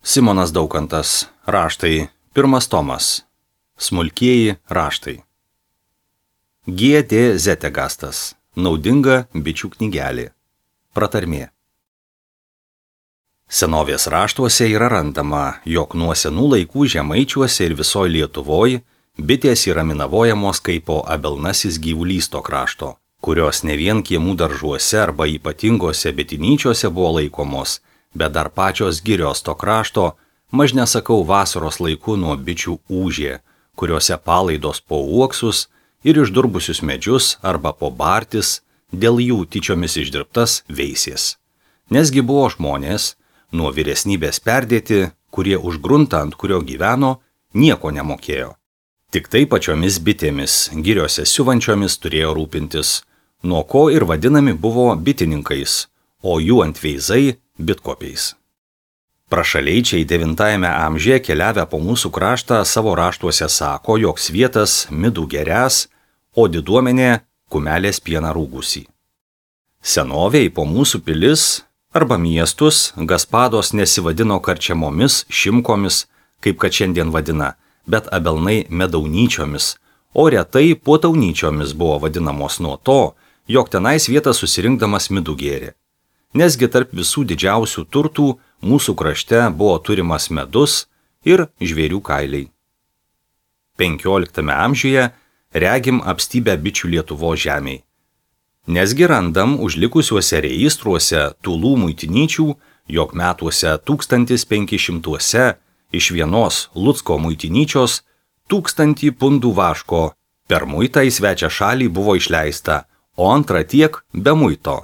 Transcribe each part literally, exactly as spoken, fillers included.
Simonas Daukantas. Raštai. Pirmas tomas. Smulkieji raštai. G D Zetegastas. Naudinga bičių knygelė. Pratarmė. Senovės raštuose yra randama, jog nuo senų laikų žemaičiuose ir visoje Lietuvoje bitės yra minavojamos kaip po abelnasis gyvulys to krašto, kurios ne vien kiemų daržuose arba ypatingose bitinyčiuose buvo laikomos, bet dar pačios girios to krašto, maž nesakau vasaros laiku nuo bičių ūžė, kuriuose palaidos po uoksus ir išdurbusius medžius arba po bartis, dėl jų tyčiomis išdirbtas veisės. Nesgi buvo žmonės, nuo vyresnybės perdėti, kurie už gruntą, ant kurio gyveno, nieko nemokėjo. Tik tai pačiomis bitėmis, giriose siuvančiomis turėjo rūpintis, nuo ko ir vadinami buvo bitininkais, o jų antveizai bitkopiais. Prašaleičiai devintajame amžiuje keliavę po mūsų kraštą savo raštuose sako, jog svietas midų geręs, o diduomenė kumelės pieną rūgusį. Senovėj po mūsų pilis arba miestus Gaspados nesivadino karčiamomis, šimkomis, kaip kad šiandien vadina, bet abelnai medaunyčiomis, o retai puotaunyčiomis buvo vadinamos nuo to, jog tenais vietą susirinkdamas midų gėrė. Nesgi tarp visų didžiausių turtų mūsų krašte buvo turimas medus ir žvėrių kailiai. penkioliktame amžiuje regim apstybę bičių Lietuvos žemėj. Nesgi randam užlikusiuose registruose Tūlų muitinyčių, jog metuose tūkstantis penki šimtuose iš vienos Lucko muitinyčios tūkstantį pundų vaško per muitą į svečią šalį buvo išleista, o antra tiek be muito.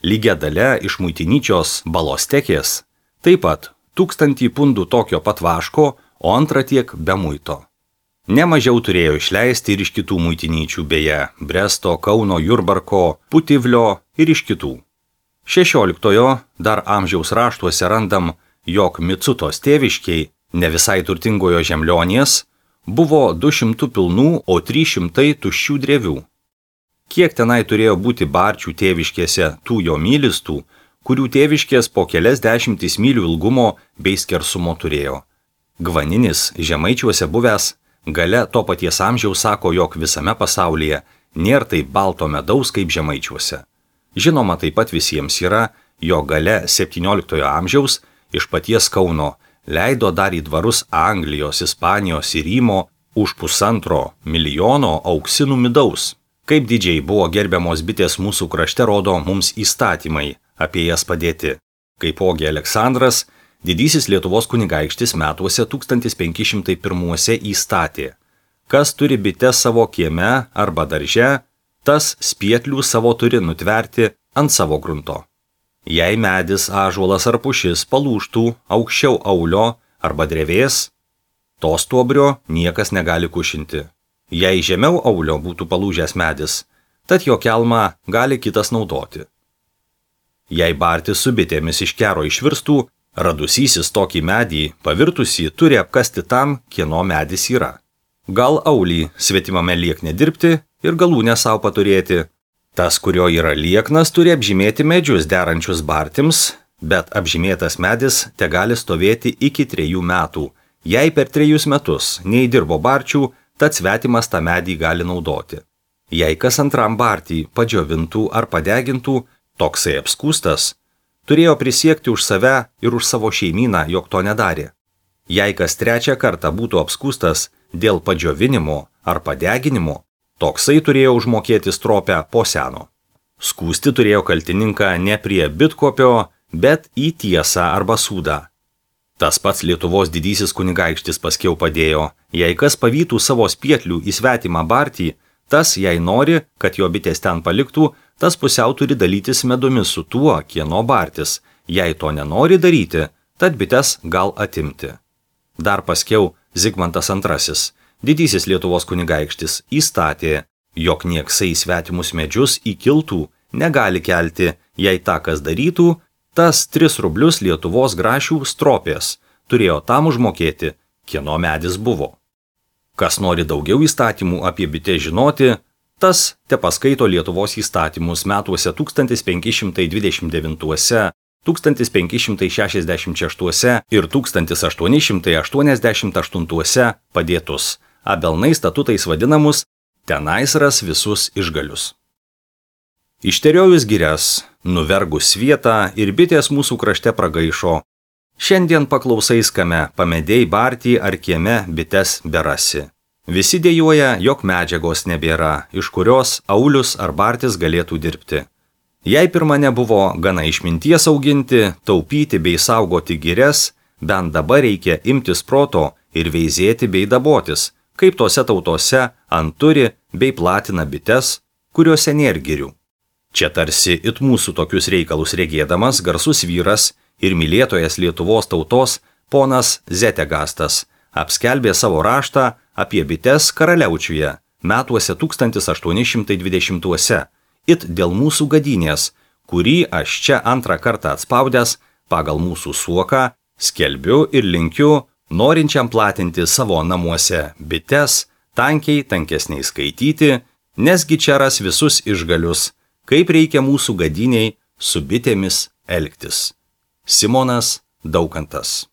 Lygia dalia iš muitinyčios Balostekės taip pat tūkstantį pundų tokio pat vaško, o antra tiek be muito. Nemažiau turėjo išleisti ir iš kitų muitinyčių, beje, Bresto, Kauno, Jurbarko, Putivlio ir iš kitų. šešioliktojo dar amžiaus raštuose randam, jog Micutos tėviškiai, ne visai turtingojo Žemlionės, buvo du šimtai pilnų, o trys šimtai tuščių drevių. Kiek tenai turėjo būti barčių tėviškėse tų jo mylistų, kurių tėviškės po kelias dešimtis mylių ilgumo bei skersumo turėjo. Gvaninis žemaičiuose buvęs gale to paties amžiaus sako, jog visame pasaulyje nėra taip balto medaus kaip žemaičiuose. Žinoma, taip pat visiems yra, jog gale septynioliktojo amžiaus iš paties Kauno leido dar į dvarus Anglijos, Ispanijos ir Rymo už pusantro milijono auksinų midaus. Kaip didžiai buvo gerbiamos bitės mūsų krašte, rodo mums įstatymai apie jas padėti. Kaipogi Aleksandras, didysis Lietuvos kunigaikštis metuose tūkstantis penki šimtai pirmuose įstatė: kas turi bites savo kieme arba darže, tas spietlių savo turi nutverti ant savo grunto. Jei medis, ąžuolas ar pušis palūžtų aukščiau aulio arba drevės, to stuobrio niekas negali kušinti. Jei žemiau aulio būtų palūžęs medis, tad jo kelmą gali kitas naudoti. Jei bartis su bitėmis iš kero išvirstų, radusysis tokį medį, pavirtusį, turi apkasti tam, kieno medis yra. Gal aulį svetimame liekne dirbti ir galūnę savo paturėti. Tas, kurio yra lieknas, turi apžymėti medžius derančius bartims, bet apžymėtas medis te gali stovėti iki trejų metų. Jei per trejus metus neįdirbo barčių, tad svetimas tą medį gali naudoti. Jei kas antram bartį padžiovintų ar padegintų, toksai apskūstas turėjo prisiekti už save ir už savo šeimyną, jog to nedarė. Jei kas trečią kartą būtų apskūstas dėl padžiovinimo ar padeginimo, toksai turėjo užmokėti stropę po seno. Skūsti turėjo kaltininką ne prie bitkopio, bet į tiesą arba sūdą. Tas pats Lietuvos didysis kunigaikštis paskiau padėjo, jei kas pavytų savo spietlių į svetimą bartį, tas, jei nori, kad jo bitės ten paliktų, tas pusiau turi dalytis medumi su tuo, kieno bartis. Jei to nenori daryti, tad bites gal atimti. Dar paskiau Zigmantas antrasis, didysis Lietuvos kunigaikštis, įstatė, jog nieksai svetimus medžius į kiltų negali kelti, jei tą kas darytų, tas tris rublius Lietuvos grašių stropės turėjo tam užmokėti, kieno medis buvo. Kas nori daugiau įstatymų apie bitę žinoti, tas te paskaito Lietuvos įstatymus metuose tūkstantis penki šimtai dvidešimt devintuose tūkstantis penki šimtai šešiasdešimt šeštuose ir tūkstantis aštuoni šimtai aštuoniasdešimt aštuntuose padėtus, Abelnai statutais vadinamus, tenais ras visus išgalius. Išteriojus girias, nuvergus vietą ir bitės mūsų krašte pragaišo. Šiandien paklausais kame, pamedėjai bartį ar kieme bites berasi. Visi dėjuoja, jog medžiagos nebėra, iš kurios aulius ar bartis galėtų dirbti. Jei pirma nebuvo gana išminties auginti, taupyti bei saugoti girias, bent dabar reikia imtis proto ir veizėti bei dabotis, kaip tose tautose anturi bei platina bites, kuriuose nėr girių. Čia tarsi it mūsų tokius reikalus regėdamas garsus vyras ir mylėtojas Lietuvos tautos ponas Zetegastas apskelbė savo raštą apie bites Karaliaučiuje metuose tūkstantis aštuoni šimtai dvidešimtuose, it dėl mūsų gadynės, kurį aš čia antrą kartą atspaudęs pagal mūsų suoką skelbiu ir linkiu norinčiam platinti savo namuose bites, tankiai tankesniai skaityti, nesgi čia ras visus išgalius, kaip reikia mūsų gadyniai su bitėmis elgtis. Simonas Daukantas.